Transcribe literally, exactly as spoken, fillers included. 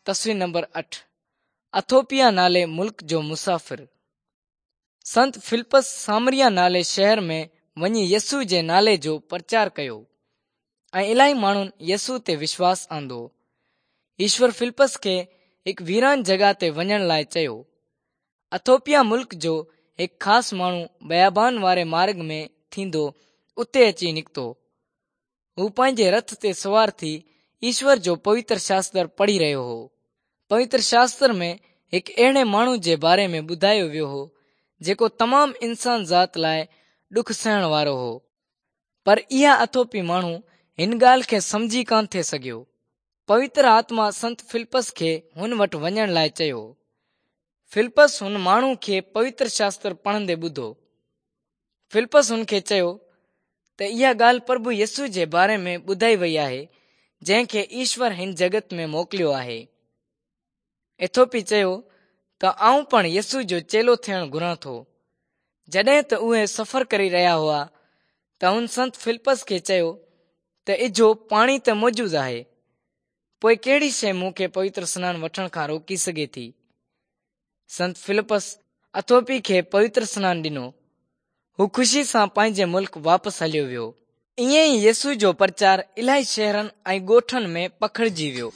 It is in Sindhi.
تصوير نمبر اٺ، اٿوپيا نالي ملڪ جو مسافر. سنت فلپس سامريا نالي شهر ۾ وڃي يسوع جي نالي جو پرچار ڪيو ۽ الاهي ماڻهن يسوع تي وشواس آندو. ايشور فلپس کي هڪ ويران جڳهه تي وڃڻ لاءِ چيو. اٿوپيا ملڪ جو هڪ خاص ماڻهو بيابان واري مارگ ۾ ٿيندو اتي اچي نڪتو. هو پنهنجي رٿ تي سوار ٿي ايشور جو پوتر شاستر پڙهي رهيو هو. پوتر شاستر ۾ هڪ اهڙي ماڻهو جي باري ۾ ٻڌايو ويو هو جيڪو تمام انسان ذات لاءِ ڏک سهڻ وارو هو. پر اها اٿوپي ماڻهو هن ڳالهه کي سمجهي ڪانه ٿي سگهيو. پوتر آتما سنت فلپس کي هن وٽ وڃڻ لاءِ چيو. فلپس هن ماڻهو کي پوتر شاستر پڙهندي ٻڌو. فلپس هن کي چيو ته اها ڳالهه پرڀو يسوع جي باري ۾ ٻڌائي وئي آهي جنهن کي ايشور هن جڳت ۾ موڪليو آهي. ايٿوپي چيو ته آئون پڻ يسوع جو چيلو ٿيڻ گهران ٿو. جڏهن ته اهي سفر ڪري رهيا هئا ته هن سنت فلپس کي چيو ته اجهو پاڻي ته موجود آهي، پوءِ ڪهڙي شيءِ مون کي پوتر سنان وٺڻ کان روڪي سگهي ٿي؟ سنت فلپس اٿوپي کي پوتر سنان ڏنو. هو خوشي سان پنهنجي ملڪ واپس هليو ويو. ائين ئي يسوع جو پرچار الاهي شهرن ۽ ڳوٺن ۾ پکڙجي ويو.